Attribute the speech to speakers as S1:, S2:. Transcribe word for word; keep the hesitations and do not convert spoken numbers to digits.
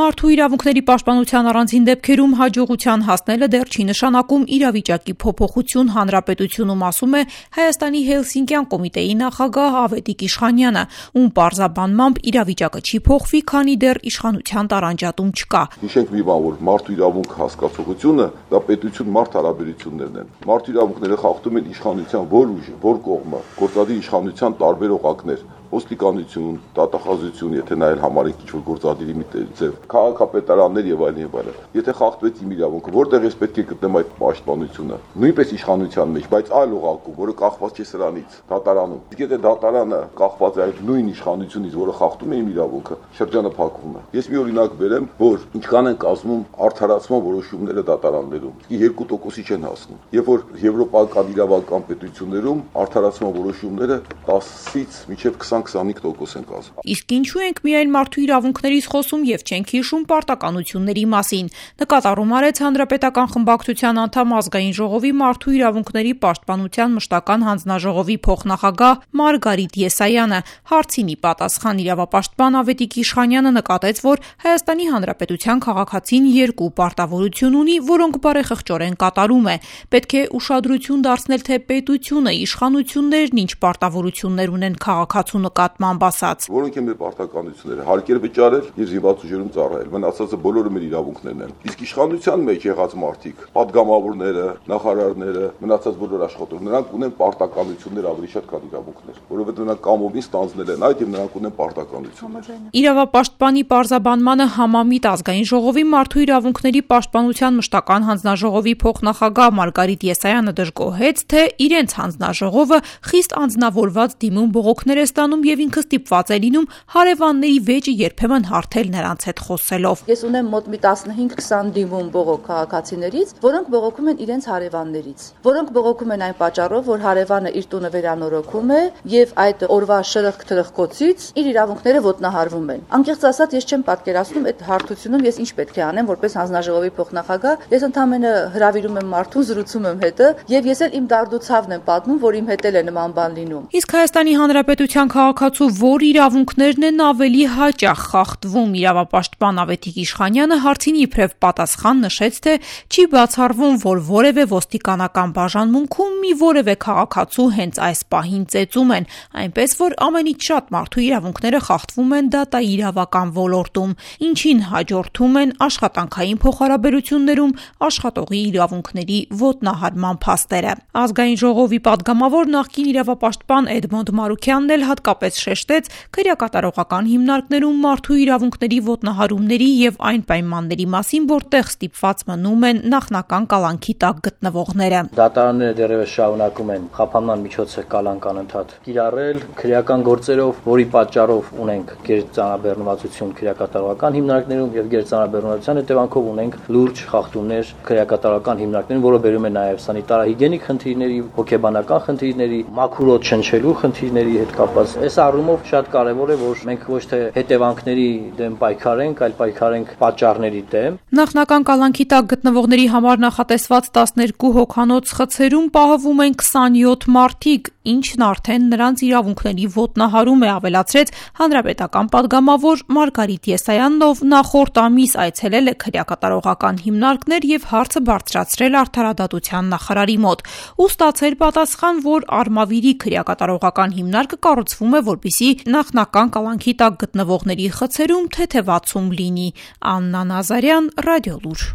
S1: Մարդու իրավունքների պաշտպանության առանձին դեպքերում հաջողության հասնելը դեռ չի նշանակում իրավիճակի փոփոխություն հանրապետությունում, ասում է Հայաստանի Հելսինկյան կոմիտեի նախագահ Ավետիք Իշխանյանը, ում պարզաբանմամբ իրավիճակը չի փոխվի, քանի դեռ իշխանության տարանջատում չկա։
S2: Հիշենք մի բան, որ մարդու իրավունք հասկացողությունը դա պետություն-մարդ հարաբերություններն են։ Մարդու իրավունքները խախտում են իշխանության որ ուժը, որ կողմը, գործադիր իշխանության տարբեր օղակներ, ոստիկանություն, դատախազություն, եթե նայել համարենք ինչ-որ գործադիրի մի ձև, քաղաքապետարաններ եւ այլն եւ այլն։ Եթե խախտվեց իմ իրավունքը, որտեղ ես պետք է գտնեմ այդ պաշտպանությունը։ Նույնպես իշխանության մեջ, բայց այլ օղակում, որը կախված չէ սրանից, դատարանում։ Եթե դատարանը կախված է այդ նույն իշխանությունից, որը խախտում է իմ իրավունքը, շրջանը փակվում է։ Ես մի օրինակ բերեմ, որ ինչքան են կազմում արդարացման որոշումները դատարաններում։ երկու տոկոսի չեն հասնում։ Երբ որ եվրոպական իրավական պետություններում արդարացման որոշումները տասից մինչև քսան-քսանհինգ տոկոս են կազմում։
S1: Իսկ ինչու ենք միայն մարդու իրավունքներից խոսում եւ չենք հիշում պարտականությունների մասին։ Նկատառում արեց Հանրապետական խմբակցության անդամ ազգային ժողովի մարդու իրավունքների պաշտպանության մշտական հանձնաժողովի փոխնախագահ Մարգարիտ Եսայանը։ Հարցին ի պատասխան իրավապաշտպան Ավետիք Իշխանյանը նկատեց, որ Հայաստանի Հանրապետության քաղաքացին երկու պարտավորություն ունի, որոնք բարեխղճորեն կատարում է։ Պետք է ուշադրություն դարձնել, թե պետությունը, իշխանություններն ինչ պարտավորություններ ունեն քաղաքացու նկատմամբ ասած։
S2: Որոնք են մեր պարտականությունները՝ հարկեր վճարել եւ զինված ուժերում ծառայել։ Մնացածը բոլորը մեր իրավունքներն են։ Իսկ իշխանության մեջ եղած մարդիկ, падգամավորները, նախարարները, մնացած բոլոր աշխատողները, նրանք ունեն պարտականություններ ավելի շատ, քան իրավունքներ, որովհետեւ նրանք կամովին ստանձնել են այդ եւ նրանք ունեն պարտականություններ։
S1: Իրավապաշտպանի պարզաբանմանը համամիտ ազգային ժողովի մարդու իրավունքների պաշտպանության մշտական հանձնաժողովի փոխնախագահ Մարգարիտ Եսայանը դժգոհեց, թե իրենց հանձնաժողովը խիստ անձնավորված դիմում բողոքներ է ստանում եւ ինքը ստիպված է լինում հարևանների վեճը երբեմն հարթել նրանց հետ խոսելով։
S3: Ես ունեմ մոտ մի տասնհինգ քսան դիմում բողոք քաղաքացիներից, որոնք բողոքում են իրենց հարևաններից, որոնք բողոքում են այն պատճառով, որ հարևանը իր տունը վերանորոգում է եւ այդ օրվա շրխկ-թրխկոցից իր իրավունքները ոտնահարվում են։ Անկեղծ ասած, ես չեմ պատկերացնում այդ հարթությունում ես ինչ պետք է անեմ որպես հանձնաժողովի փոխնախագահ։ Ես ընդհանրապես հրավիրում եմ մարդուն, զրուցում եմ հետը եւ ես էլ իմ դարդուցավն եմ պատմում, որ իմ հետ էլ է նման բան լինում։
S1: Իսկ Հայաստանի Հանրապետության քաղաքացու որ իրավունքներն են ավելի հաճախ խախտվում, իրավապաշտպան Ավետիք Իշխանյանը հարցին իբրև պատասխան նշեց, թե չի բացառվում, որ որևէ ոստիկանական բաժանմունքում մի որևէ քաղաքացու հենց այս պահին ծեծում են, այնպես որ ամենից շատ մարդու իրավունքները խախտվում են դատաիրավական ոլորտում, ինչին հաջորդում են աշխատանքային փոխհարաբերություններում աշխատողի իրավունքների ոտնահարման փաստերը։ Ազգային ժողովի պատգամավոր նախկին իրավապաշտպան Էդմոնդ Մարուքյանն էլ հատկապես շեշտեց քրեակատարողական հիմնարկներում մարդու իրավունքների ոտնահարումների եւ այն պայմանների մասին, որտեղ ստիպված մնում են նախնական կալանքի տակ գտնվողները։
S4: Դատարանները դեռևս շարունակում են խափանման միջոցը կալանք անընդհատ կիրառել քրեական գործերով, որի պատճառով ունենք գերծանրաբեռնվածություն քրեակատարողական հիմնարկներում եւ գերծանրաբեռնվածության հետևանքով ունենք լուրջ խախտումներ քրեակատարողական հիմնարկներում, որը բերում է նաեւ սանիտարահիգիենիկ խնդիրների, հոգեբանական խնդիրների, մաքուրոտ շնչելու խնդիրների հետ կապված։ Այս առումով շատ կարևոր է, որ մենք ոչ թե հետևանքների դեմ պայքարենք, այլ պայքարենք պատճառների դեմ։
S1: Նախնական կալանքի տակ գտնվողների համար նախատեսված տասներկու հոգանոց խցերում պահվում են քսանյոթ մարդիկ, ինչն արդեն նրանց իրավունքների ոտնահարում է, ավելացրեց հանրապետական պատգամավոր Մարգարիտ Եսայանն, ով նախորդ ամիս այցելել է քրեակատարողական հիմնարկներ եւ հարցը բարձրացրել արդարադատության նախարարի մոտ ու ստացել պատասխան, որ Արմավիրի քրեակատարողական հիմնարկը կառուցվում է, որպեսզի նախնական կալանքի տակ գտնվողների խցերում թեթևացում լինի։ Աննա Նազարյան, Ռադիոլուր։